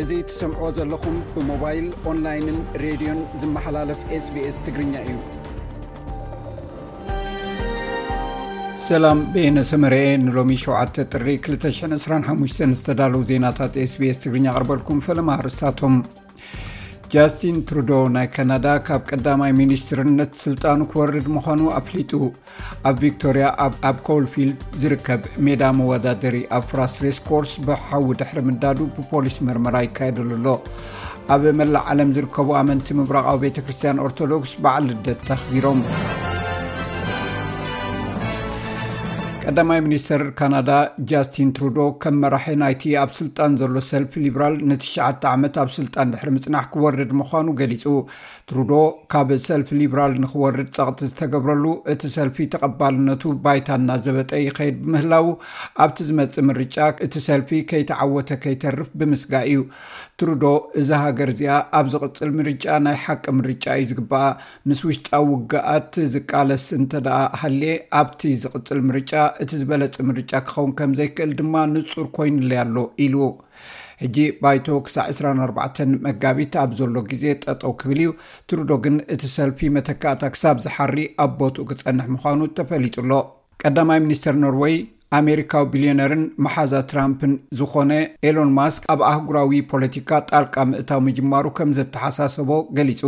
እዚ ትሰምዕዎ ዘለኹም ብሞባይል፣ ኦንላይንን ሬድዮን ዝመሓላለፍ SBS ትግርኛ እዩ። ሰላም፣ በየነ ሰመረ እየ። ንሎሚ ሸውዓተ ጥሪ ክልተ ሽሕን ዕስራን ሓሙሽተን ዝተዳለዉ ዜናታት SBS ትግርኛ ኣቕርበልኩም። ፈለማ ኣርእስታቶም። ጃስቲን ትሩዶ ናይ ካናዳ ካብ ቀዳማይ ሚኒስትርነት ስልጣኑ ክወርድ ምዃኑ ኣፍሊጡ። ኣብ ቪክቶርያ ኣብ፣ ኣብ ኮልፊልድ ዝርከብ ሜዳ መወዳደሪ ኣብ ፍራስ ሬስ ኮርስ ብሓዊ ድሕሪ ምንዳዱ ብፖሊስ መርመራ ይካየደሉ ኣሎ። ኣብ መላእ ዓለም ዝርከቡ ኣመንቲ ምብራቓዊ ቤተ ክርስቲያን ኦርቶዶክስ በዓል ልደት ኣኽቢሮም። ቀዳማይ ሚኒስተር ካናዳ ጃስቲን ትሩዶ ከም መራሒ ናይቲ ኣብ ስልጣን ዘሎ ሰልፊ ሊብራል ንትሽዓተ ዓመት ኣብ ስልጣን ድሕሪ ምጽናሕ ክወርድ ምዃኑ ገሊጹ። ትሩዶ ካብ ሰልፊ ሊብራል ንኽወርድ ጸቕጢ ዝተገብረሉ፣ እቲ ሰልፊ ተቐባልነቱ ባይታ እናዘበጠ ይኸይድ ብምህላዉ፣ ኣብቲ ዝመጽእ ምርጫ እቲ ሰልፊ ከይተዓወተ ከይተርፍ ብምስጋእ እዩ። ትሩዶ፣ "እዛ ሃገር እዚኣ ኣብ ዝቕጽል ምርጫ ናይ ሓቂ ምርጫ እዩ ዝግባኣ። ምስ ውሽጣዊ ውግኣት ዝቃለስ እንተ ደኣ ሃልየ፣ ኣብቲ ዝቕጽል ምርጫ እቲ ዝበለጸ ምርጫ ክኸውን ከም ዘይክእል ድማ ንጹር ኮይኑለይ ኣሎ" ኢሉ። ሕጂ ባይቶ ክሳዕ ዕስራን ኣርባዕተን መጋቢት ኣብ ዘሎ ግዜ ጠጠው ክብል እዩ። ትሩዶ ግን እቲ ሰልፊ መተካእታ ክሳብ ዝሓሪ ኣብ ቦትኡ ክጸንሕ ምዃኑ ተፈሊጡ ኣሎ። ቀዳማይ ሚኒስተር ኖርወይ፣ ኣሜሪካዊ ቢልዮነርን መሓዛ ትራምፕን ዝኾነ ኤሎን ማስክ ኣብ ኣህጉራዊ ፖለቲካ ጣልቃ ምእታው ምጅማሩ ከም ዘተሓሳሰቦ ገሊጹ።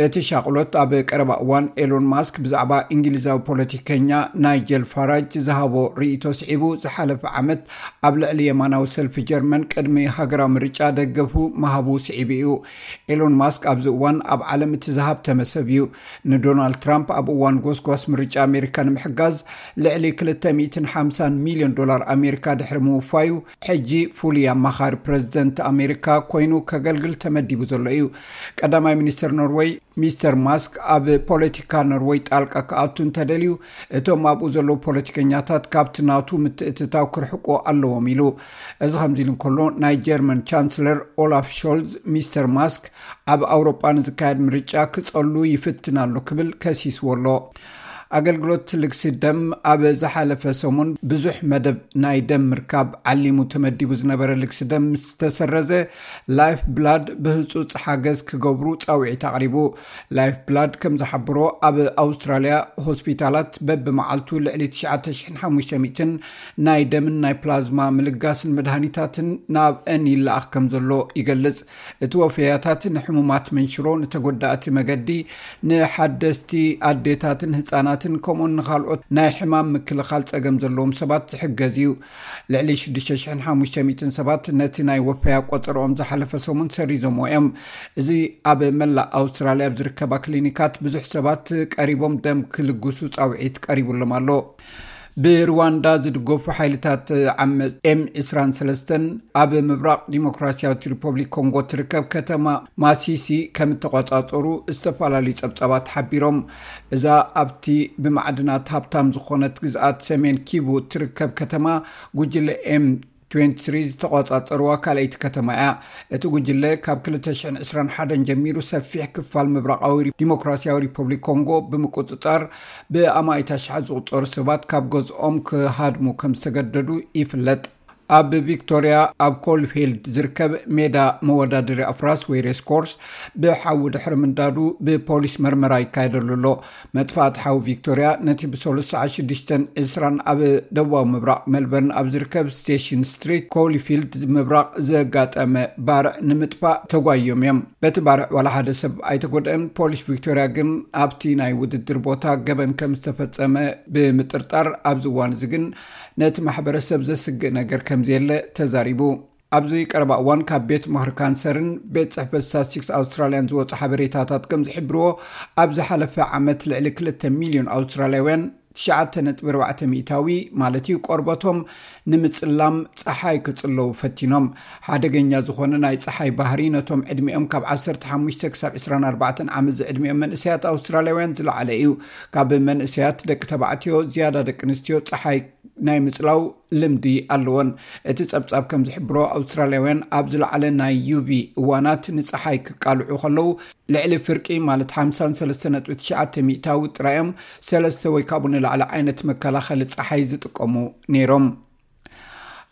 እቲ ሻቕሎት ኣብ ቀረባ እዋን ኤሎን ማስክ ብዛዕባ እንግሊዛዊ ፖለቲከኛ ናይጀል ፋራጅ ዝሃቦ ርእይቶ ስዒቡ፣ ዝሓለፈ ዓመት ኣብ ልዕሊ የማናዊ ሰልፊ ጀርመን ቅድሚ ሃገራዊ ምርጫ ደገፉ ምሃቡ ስዒቡ እዩ። ኤሎን ማስክ ኣብዚ እዋን ኣብ ዓለም እቲ ዝሃብተመ ሰብ እዩ። ንዶናልድ ትራምፕ ኣብ እዋን ጎስጓስ ምርጫ ኣሜሪካ ንምሕጋዝ ልዕሊ ክልተ ሚእትን ሓምሳን ሚልዮን ዶላር ኣሜሪካ ድሕሪ ምውፋዩ፣ ሕጂ ፍሉይ ኣማኻሪ ፕረዚደንት ኣሜሪካ ኮይኑ ከገልግል ተመዲቡ ዘሎ እዩ። ቀዳማይ ሚኒስተር ኖርወይ ሚስተር ማስክ ኣብ ፖለቲካ ኖርወይ ጣልቃ ክኣቱ እንተደልዩ፣ እቶም ኣብኡ ዘለዉ ፖለቲከኛታት ካብቲ ናቱ ምትእትታው ክርሕቁ ኣለዎም ኢሉ። እዚ ከምዚ ኢሉ እንከሎ፣ ናይ ጀርመን ቻንስለር ኦላፍ ሾልዝ፣ ሚስተር ማስክ ኣብ ኣውሮጳ ንዝካየድ ምርጫ ክጸሉ ይፍትን ኣሎ ክብል ከሲስዎ ኣሎ። ኣገልግሎት ልግሲ ደም ኣብ ዝሓለፈ ሰሙን ብዙሕ መደብ ናይ ደም ምርካብ ዓሊሙ ተመዲቡ ዝነበረ ልግሲ ደም ምስ ተሰረዘ፣ ላይፍ ብላድ ብህጹጽ ሓገዝ ክገብሩ ጻውዒት ኣቕሪቡ። ላይፍ ብላድ ከም ዝሓብሮ፣ ኣብ ኣውስትራልያ ሆስፒታላት በብመዓልቱ ልዕሊ ትሽዓተ ሽሕን ሓሙሽተ ሚእትን ናይ ደምን ናይ ፕላዝማ ምልጋስን መድሃኒታትን ናብአን ይለኣኽ ከም ዘሎ ይገልጽ። እቲ ወፈያታት ንሕሙማት መንሽሮ፣ ንተጎዳእቲ መገዲ፣ ንሓደስቲ ኣዴታትን ህጻናትን፣ ከምኡን ንኻልኦት ናይ ሕማም ምክልኻል ጸገም ዘለዎም ሰባት ዝሕገዝ እዩ። ልዕሊ ሽዱሽተ ሽሕን ሓሙሽተ ሚእትን ሰባት ነቲ ናይ ወፈያ ቆጸርኦም ዝሓለፈ ሰሙን ሰሪዞምዎ እዮም። እዚ ኣብ መላእ ኣውስትራልያ ኣብ ዝርከባ ክሊኒካት ብዙሕ ሰባት ቀሪቦም ደም ክልግሱ ጻውዒት ቀሪቡሎም ኣሎ። ብሩዋንዳ ዝድገፉ ሓይልታት ዓመጽ ኤም ዕስራን ሰለስተን ኣብ ምብራቕ ዲሞክራሲያዊት ሪፐብሊክ ኮንጎ ትርከብ ከተማ ማሲሲ ከም እተቖጻጸሩ ዝተፈላለዩ ጸብጻባት ሓቢሮም። እዛ ኣብቲ ብማዕድናት ሃብታም ዝኾነት ግዝኣት ሰሜን ኪቡ እትርከብ ከተማ፣ ጉጅለ ኤም ትዌንቲ ስሪ ዝተቖጻጸርዋ ካልኣይቲ ከተማ እያ። እቲ ጉጅለ ካብ ክልተ ሽሕን ዕስራን ሓደን ጀሚሩ ሰፊሕ ክፋል ምብራቓዊ ዲሞክራሲያዊ ሪፐብሊክ ኮንጎ ብምቁጽጻር፣ ብኣማኢት ኣሽሓት ዝቑጸሩ ሰባት ካብ ገዝኦም ክሃድሙ ከም ዝተገደዱ ይፍለጥ። ኣብ ቪክቶርያ ኣብ ኮልፊልድ ዝርከብ ሜዳ መወዳደሪ ኣፍራስ ወይ ሬስ ኮርስ ብሓዊ ድሕሪ ምንዳዱ ብፖሊስ መርመራ ይካየደሉ ኣሎ። መጥፋእቲ ሓዊ ቪክቶርያ ነቲ ብሰሉስ ሰዓት ሽዱሽተን ዕስራን ኣብ ደቡባዊ ምብራቕ ሜልበርን ኣብ ዝርከብ ስቴሽን ስትሪት ኮልፊልድ ምብራቕ ዘጋጠመ ባርዕ ንምጥፋእ ተጓዮም እዮም። በቲ ባርዕ ዋላ ሓደ ሰብ ኣይተጎድአን። ፖሊስ ቪክቶርያ ግን ኣብቲ ናይ ውድድር ቦታ ገበን ከም ዝተፈጸመ ብምጥርጣር፣ ኣብዚ እዋን እዚ ግን ነቲ ማሕበረሰብ ዘስግእ ነገር ከም ዘየለ ተዛሪቡ። ኣብዚ ቀረባ እዋን ካብ ቤት ምኽሪ ካንሰርን ቤት ጽሕፈት ስታትስቲክስ ኣውስትራልያን ዝወጹ ሓበሬታታት ከም ዝሕብርዎ፣ ኣብ ዝሓለፈ ዓመት ልዕሊ ክልተ ሚልዮን ኣውስትራልያውያን፣ ትሽዓተ ነጥቢ ኣርባዕተ ሚእታዊ ማለት እዩ፣ ቆርበቶም ንምጽላም ጸሓይ ክጽለዉ ፈቲኖም። ሓደገኛ ዝኾነ ናይ ጸሓይ ባህሪ ነቶም ዕድሚኦም ካብ ዓሰርተ ሓሙሽተ ክሳብ ዕስራን ኣርባዕተን ዓመት ዝዕድሚኦም መንእሰያት ኣውስትራልያውያን ዝለዓለ እዩ። ካብ መንእሰያት ደቂ ተባዕትዮ ዝያዳ ደቂ ኣንስትዮ ጸሓይ ናይ ምጽላው ልምዲ ኣለወን። እቲ ጸብጻብ ከም ዝሕብሮ፣ ኣውስትራልያውያን ኣብ ዝለዓለ ናይ ዩቪ እዋናት ንጸሓይ ክቃልዑ ከለዉ፣ ልዕሊ ፍርቂ ማለት ሓምሳን ሰለስተ ነጥቢ ትሽዓተ ሚእታዊ ጥራይ እዮም ሰለስተ ወይ ካብኡ ንላዕሊ ዓይነት መከላኸሊ ጸሓይ ዝጥቀሙ ነይሮም።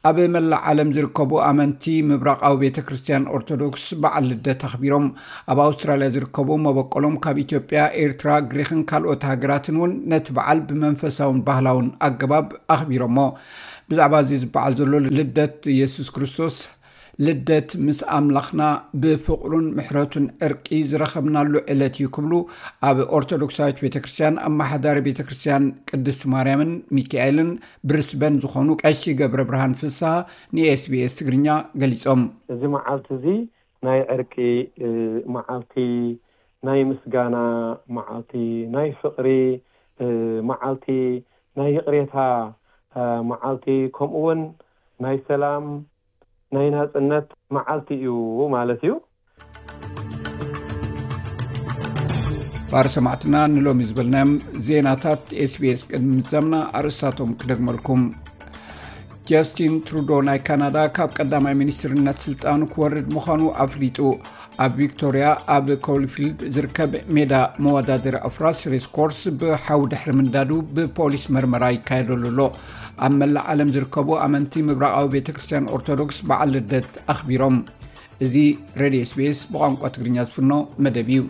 ኣብ መላእ ዓለም ዝርከቡ ኣመንቲ ምብራቓዊ ቤተ ክርስቲያን ኦርቶዶክስ በዓል ልደት ኣኽቢሮም። ኣብ ኣውስትራልያ ዝርከቡ መበቆሎም ካብ ኢትዮጵያ፣ ኤርትራ፣ ግሪኽን ካልኦት ሃገራትን እውን ነቲ በዓል ብመንፈሳውን ባህላውን ኣገባብ ኣኽቢሮሞ። ብዛዕባ እዚ ዝበዓል ዘሎ ልደት ኢየሱስ ክርስቶስ፣ ልደት ምስ ኣምላኽና ብፍቕሩን ምሕረቱን ዕርቂ ዝረኸብናሉ ዕለት እዩ ክብሉ ኣብ ኦርቶዶክሳዊት ቤተ ክርስቲያን ኣመሓዳሪ ቤተ ክርስቲያን ቅድስት ማርያምን ሚካኤልን ብሪስበን ዝኾኑ ቀሺ ገብረ ብርሃን ፍስሃ ንኤስቢኤስ ትግርኛ ገሊጾም። እዚ መዓልቲ እዚ ናይ ዕርቂ፣ እ፣ መዓልቲ፣ ናይ ምስጋና መዓልቲ፣ ናይ ፍቕሪ፣ እ፣ መዓልቲ፣ ናይ ይቕሬታ፣ እ፣ መዓልቲ፣ ከምኡ እውን ናይ ሰላም፣ ናይ ናጽነት መዓልቲ እዩ ማለት እዩ። ባር ሰማዕትና ንሎሚ ዝበልናዮም ዜናታት ኤስቢኤስ ቅድሚ ምዛምና ኣርእስታቶም ክደግመልኩም። ጃስቲን ትሩዶ ናይ ካናዳ ካብ ቀዳማይ ሚኒስትርነት ስልጣኑ ክወርድ ምዃኑ ኣፍሊጡ። ኣብ ቪክቶርያ ኣብ ኮሊፊልድ ዝርከብ ሜዳ መወዳደሪ ኣፍራስ ሬስ ኮርስ ብሓዊ ድሕሪ ምንዳዱ ብፖሊስ መርመራ ይካየደሉ ኣሎ። ኣብ መላእ ዓለም ዝርከቡ ኣመንቲ ምብራቓዊ ቤተ ክርስቲያን ኦርቶዶክስ በዓል ልደት ኣኽቢሮም። እዚ ሬድዮ ኤስቢኤስ ብቋንቋ ትግርኛ ዝፍኖ መደብ እዩ።